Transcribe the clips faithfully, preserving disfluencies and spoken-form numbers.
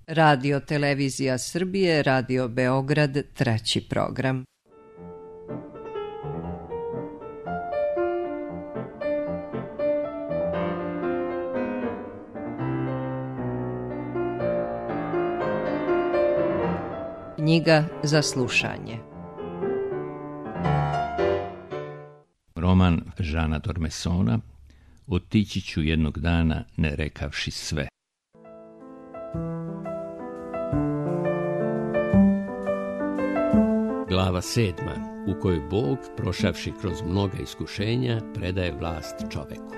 Radio Televizija Srbije, Radio Beograd, treći program. Knjiga za slušanje. Roman Žana Dormesona Otići ću jednog dana ne rekavši sve. Glava sedma, u kojoj Bog, prošavši kroz mnoga iskušenja, predaje vlast čoveku.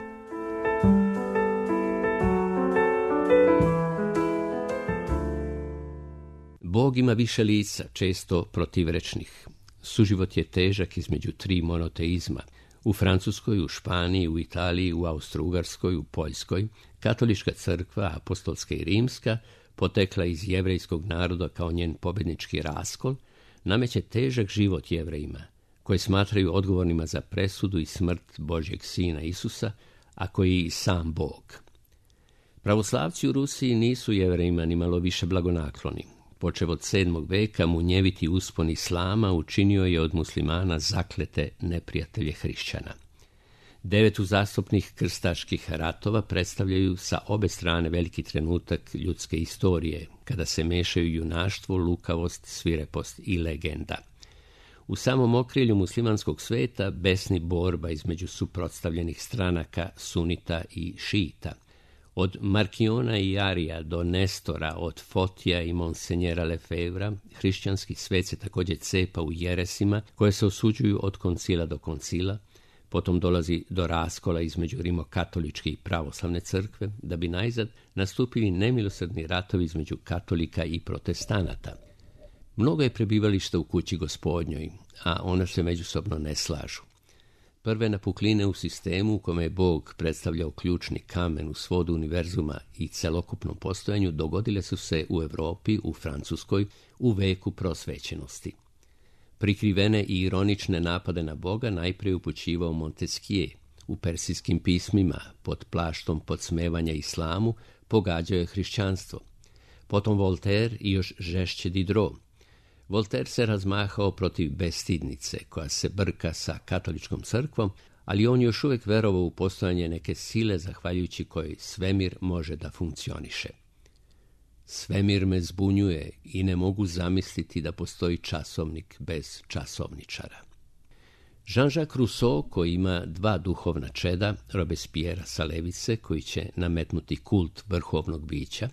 Bog ima više lica, često protivrečnih. Suživot je težak između tri monoteizma. U Francuskoj, u Španiji, u Italiji, u Austro-Ugarskoj, u Poljskoj, katolička crkva, apostolska i rimska, potekla iz jevrejskog naroda kao njen pobjednički raskol, nameće težak život Jevrejima, koji smatraju odgovornima za presudu i smrt Božjeg sina Isusa, a koji je i sam Bog. Pravoslavci u Rusiji nisu Jevrejima ni malo više blagonakloni. Počev od sedmog veka, munjeviti uspon islama učinio je od muslimana zaklete neprijatelje hrišćana. Devet uzastopnih krstaških ratova predstavljaju sa obe strane veliki trenutak ljudske istorije, kada se mešaju junaštvo, lukavost, svirepost i legenda. U samom okrilju muslimanskog sveta besni borba između suprotstavljenih stranaka sunita i šiita. Od Markiona i Arija do Nestora, od Fotija i Monsenjera Lefevra, hrišćanski svet se također cepa u jeresima koje se osuđuju od koncila do koncila. Potom dolazi do raskola između rimokatoličke i pravoslavne crkve, da bi najzad nastupili nemilosrdni ratovi između katolika i protestanata. Mnogo je prebivališta u kući Gospodnjoj, a ona se međusobno ne slažu. Prve napukline u sistemu u kome je Bog predstavljao ključni kamen u svodu univerzuma i celokupnom postojanju dogodile su se u Europi, u Francuskoj, u veku prosvećenosti. Prikrivene i ironične napade na Boga najprije upućivao Montesquieu. U persijskim pismima, pod plaštom podsmevanja islamu, pogađao je hrišćanstvo. Potom Voltaire i još žešće Diderot. Voltaire se razmahao protiv bestidnice, koja se brka sa katoličkom crkvom, ali on još uvijek verovao u postojanje neke sile zahvaljujući kojoj svemir može da funkcioniše. Svemir me zbunjuje i ne mogu zamisliti da postoji časovnik bez časovničara. Jean-Jacques Rousseau, koji ima dva duhovna čeda, Robespierre sa levice, koji će nametnuti kult vrhovnog bića,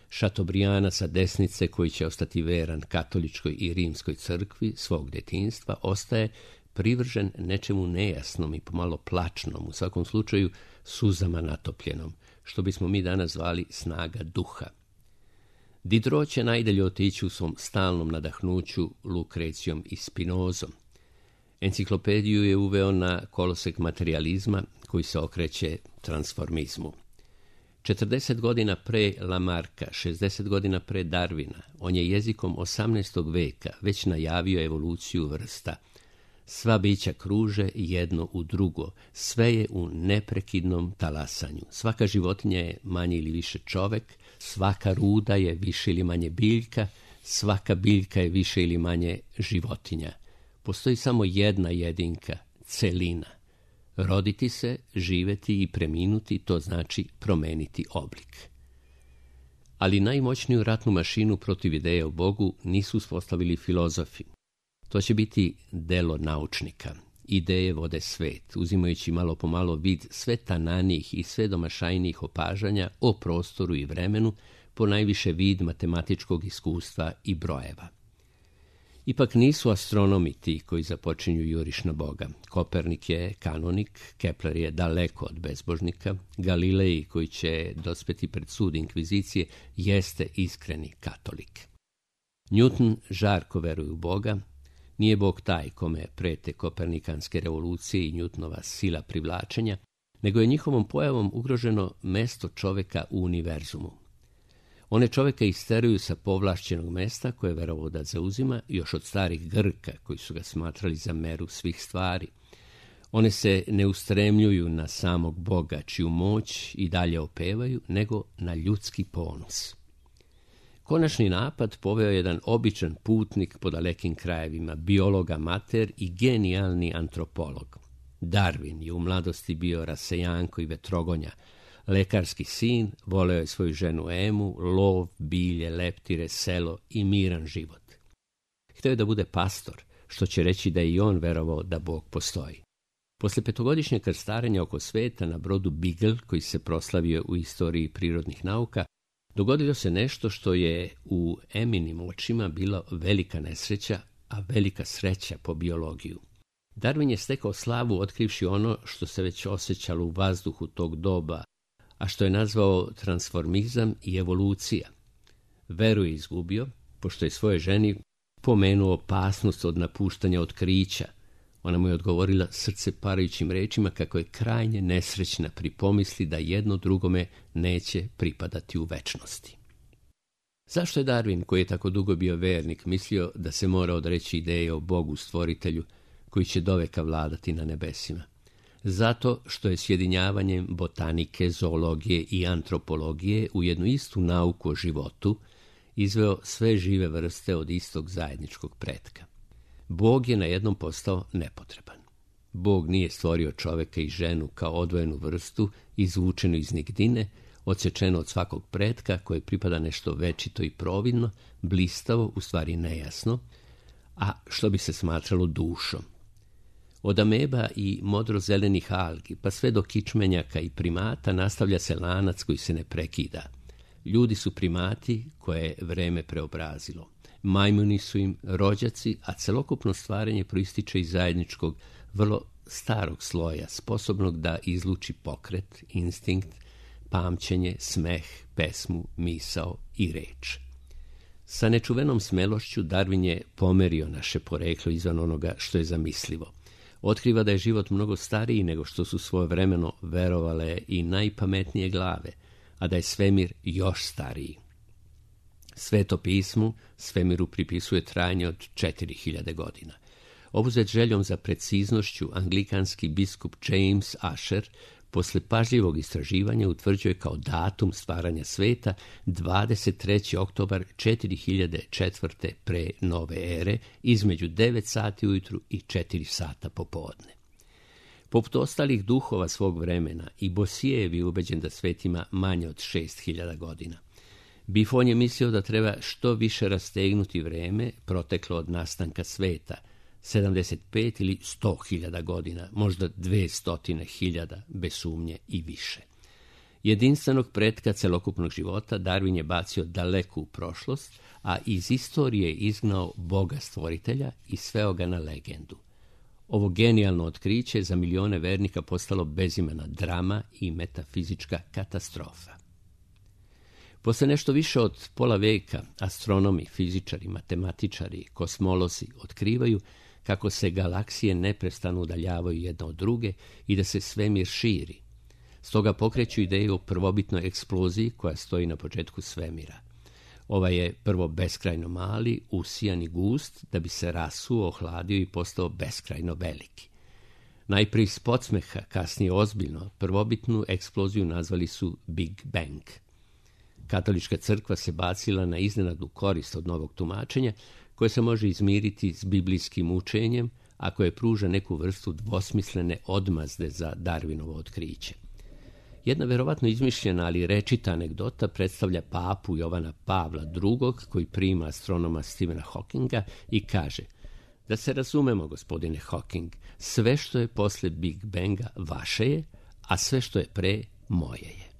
Chateaubrianda sa desnice, koji će ostati veran katoličkoj i rimskoj crkvi svog detinjstva, ostaje privržen nečemu nejasnom i pomalo plačnom, u svakom slučaju suzama natopljenom, što bismo mi danas zvali snaga duha. Diderot će najdalje otići u svom stalnom nadahnuću Lukrecijom i Spinozom. Enciklopediju je uveo na kolosek materijalizma koji se okreće transformizmu. četrdeset godina pre Lamarka, šezdeset godina pre Darwina, on je jezikom osamnaestog veka već najavio evoluciju vrsta. Sva bića kruže jedno u drugo, sve je u neprekidnom talasanju. Svaka životinja je manje ili više čovek, svaka ruda je više ili manje biljka, svaka biljka je više ili manje životinja. Postoji samo jedna jedinka, celina. Roditi se, živeti i preminuti, to znači promeniti oblik. Ali najmoćniju ratnu mašinu protiv ideje o Bogu nisu uspostavili filozofi. To će biti delo naučnika. Ideje vode svet, uzimajući malo po malo vid sve tananijih i sve domašajnijih opažanja o prostoru i vremenu, po najviše vid matematičkog iskustva i brojeva. Ipak nisu astronomi ti koji započinju juriš na Boga. Kopernik je kanonik, Kepler je daleko od bezbožnika, Galilej, koji će dospeti pred sud inkvizicije, jeste iskreni katolik. Newton žarko veruje u Boga. Nije Bog taj kome prete kopernikanske revolucije i Newtonova sila privlačenja, nego je njihovom pojavom ugroženo mesto čoveka u univerzumu. One čoveka isteruju sa povlašćenog mesta koje je verovao da zauzima još od starih Grka, koji su ga smatrali za meru svih stvari. One se ne ustremljuju na samog Boga, čiju moć i dalje opevaju, nego na ljudski ponos. konačni napad poveo jedan običan putnik po dalekim krajevima, biolog amater i genijalni antropolog. Darwin je u mladosti bio rasejanko i vetrogonja, lekarski sin, voleo je svoju ženu Emu, lov, bilje, leptire, selo i miran život. Hteo je da bude pastor, što će reći da je i on verovao da Bog postoji. Posle petogodišnjeg krstarenja oko sveta na brodu Beagle, koji se proslavio u istoriji prirodnih nauka, dogodilo se nešto što je u Eminim očima bila velika nesreća, a velika sreća po biologiju. Darwin je stekao slavu otkrivši ono što se već osjećalo u vazduhu tog doba, a što je nazvao transformizam i evolucija. Veru je izgubio, pošto je svoje ženi pomenuo opasnost od napuštanja otkrića. Ona mu je odgovorila srce parajućim rečima kako je krajnje nesrećna pri pomisli da jedno drugome neće pripadati u večnosti. Zašto je Darwin, koji je tako dugo bio vernik, mislio da se mora odreći ideje o Bogu stvoritelju koji će doveka vladati na nebesima? Zato što je sjedinjavanjem botanike, zoologije i antropologije u jednu istu nauku o životu izveo sve žive vrste od istog zajedničkog pretka. Bog je na jednom postao nepotreban. Bog nije stvorio čoveka i ženu kao odvojenu vrstu, izvučenu iz nigdine, odsečeno od svakog pretka koje pripada nešto večito i providno, blistavo, u stvari nejasno, a što bi se smatralo dušom. Od ameba i modrozelenih algi, pa sve do kičmenjaka i primata nastavlja se lanac koji se ne prekida. Ljudi su primati koje je vreme preobrazilo. Majmuni su im rođaci, a celokupno stvaranje proističe iz zajedničkog, vrlo starog sloja, sposobnog da izluči pokret, instinkt, pamćenje, smeh, pesmu, misao i reč. Sa nečuvenom smelošću Darwin je pomerio naše poreklo izvan onoga što je zamislivo. Otkriva da je život mnogo stariji nego što su svojevremeno verovale i najpametnije glave, a da je svemir još stariji. Sveto pismu svemiru pripisuje trajanje od četiri hiljade godina. Obuzet željom za preciznošću, anglikanski biskup James Asher posle pažljivog istraživanja utvrđuje kao datum stvaranja sveta dvadeset treći oktobar četiri hiljade četvrte pre nove ere između devet sati ujutru i četiri sata popodne. Poput ostalih duhova svog vremena, i Bosijev je ubeđen da svet ima manje od šest hiljada godina. Buffon je mislio da treba što više rastegnuti vreme proteklo od nastanka sveta, sedamdeset pet ili sto hiljada godina, možda dvesta hiljada, bez sumnje i više. Jedinstvenog pretka celokupnog života Darwin je bacio daleko u prošlost, a iz istorije izgnao Boga stvoritelja i sveo ga na legendu. Ovo genijalno otkriće za milione vernika postalo bezimena drama i metafizička katastrofa. Posle nešto više od pola veka astronomi, fizičari, matematičari, kosmolozi otkrivaju kako se galaksije neprestano udaljavaju jedna od druge i da se svemir širi. Stoga pokreću ideju o prvobitnoj eksploziji koja stoji na početku svemira. Ovaj je prvo beskrajno mali, usijan i gust, da bi se rasuo, ohladio i postao beskrajno veliki. Najprije iz podsmeha, kasnije ozbiljno, prvobitnu eksploziju nazvali su Big Bang. Katolička crkva se bacila na iznenadnu korist od novog tumačenja, koje se može izmiriti s biblijskim učenjem, a koje pruža neku vrstu dvosmislene odmazde za Darwinovo otkriće. Jedna verovatno izmišljena, ali rečita anegdota predstavlja papu Jovana Pavla drugog, koji prima astronoma Stephena Hawkinga i kaže: da se razumemo, gospodine Hawking, sve što je posle Big Banga vaše je, a sve što je pre moje je.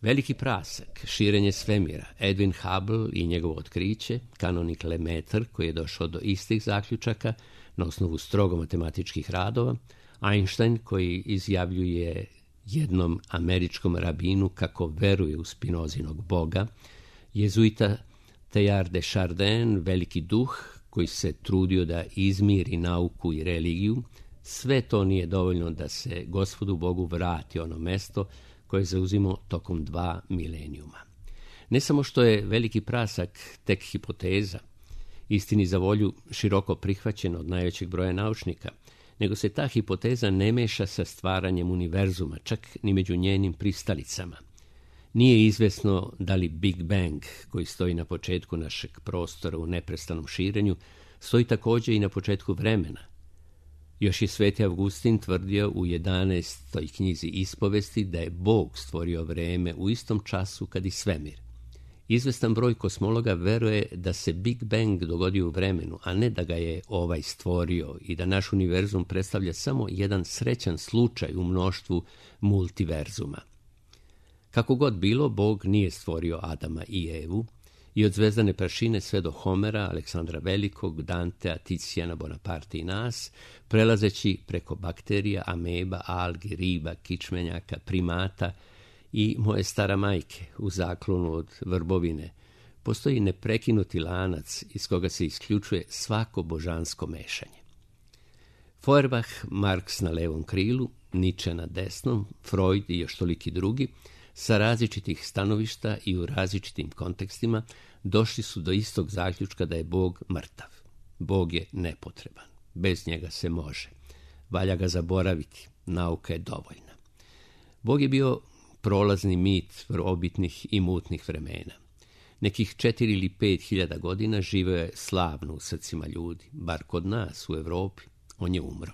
Veliki prasak, širenje svemira, Edwin Hubble i njegovo otkriće, kanonik Lemaitre koji je došao do istih zaključaka na osnovu strogo matematičkih radova, Einstein koji izjavljuje jednom američkom rabinu kako veruje u Spinozinog Boga, jezuita Teilhard de Chardin, veliki duh koji se trudio da izmiri nauku i religiju, sve to nije dovoljno da se Gospodu Bogu vrati ono mesto koje je zauzimao tokom dva milenijuma. Ne samo što je veliki prasak tek hipoteza, istini za volju široko prihvaćena od najvećeg broja naučnika, nego se ta hipoteza ne meša sa stvaranjem univerzuma, čak ni među njenim pristalicama. Nije izvesno da li Big Bang, koji stoji na početku našeg prostora u neprestanom širenju, stoji također i na početku vremena. Još je Sveti Avgustin tvrdio u jedanaestoj knjizi Ispovesti da je Bog stvorio vreme u istom času kad i svemir. Izvestan broj kosmologa veruje da se Big Bang dogodio u vremenu, a ne da ga je ovaj stvorio i da naš univerzum predstavlja samo jedan srećan slučaj u mnoštvu multiverzuma. Kako god bilo, Bog nije stvorio Adama i Evu i od zvezdane prašine sve do Homera, Aleksandra Velikog, Dantea, Ticijana, Bonaparte i nas, prelazeći preko bakterija, ameba, algi, riba, kičmenjaka, primata i moje stara majke u zaklonu od vrbovine, postoji neprekinuti lanac iz koga se isključuje svako božansko mešanje. Feuerbach, Marx na levom krilu, Nietzsche na desnom, Freud i još toliki drugi, sa različitih stanovišta i u različitim kontekstima došli su do istog zaključka da je Bog mrtav. Bog je nepotreban. Bez njega se može. Valja ga zaboraviti. Nauka je dovoljna. Bog je bio prolazni mit obitnih i mutnih vremena. Nekih četiri ili pet hiljada godina živeo je slavno u srcima ljudi, bar kod nas u Evropi. On je umro.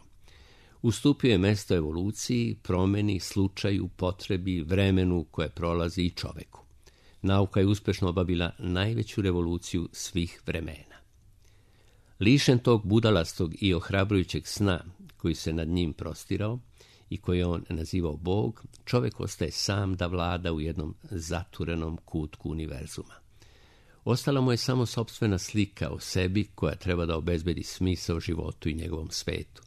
Ustupio je mesto evoluciji, promeni, slučaju, potrebi, vremenu koje prolazi i čoveku. Nauka je uspešno obavila najveću revoluciju svih vremena. Lišen tog budalastog i ohrabrujućeg sna koji se nad njim prostirao i koji je on nazivao Bog, čovek ostaje sam da vlada u jednom zaturenom kutku univerzuma. Ostala mu je samo sopstvena slika o sebi koja treba da obezbedi smisao životu i njegovom svetu.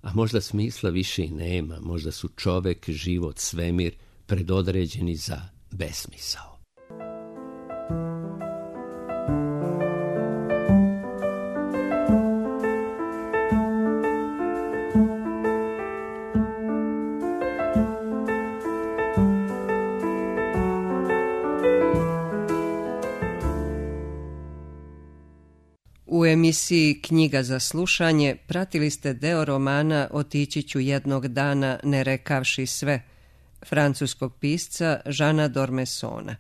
A možda smisla više i nema, možda su čovek, život, svemir predodređeni za besmisao. U emisiji Knjiga za slušanje pratili ste deo romana Otići ću jednog dana ne rekavši sve, francuskog pisca Žana Dormesona,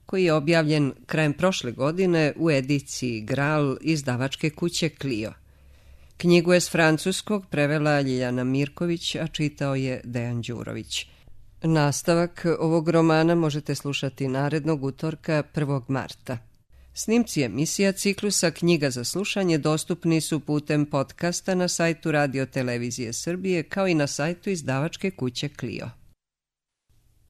koji je objavljen krajem prošle godine u ediciji Gral izdavačke kuće Clio. Knjigu je s francuskog prevela Ljiljana Mirković, a čitao je Dejan Đurović. Nastavak ovog romana možete slušati narednog utorka prvog marta. Snimci emisija ciklusa Knjiga za slušanje dostupni su putem podcasta na sajtu Radio Televizije Srbije kao i na sajtu izdavačke kuće Clio.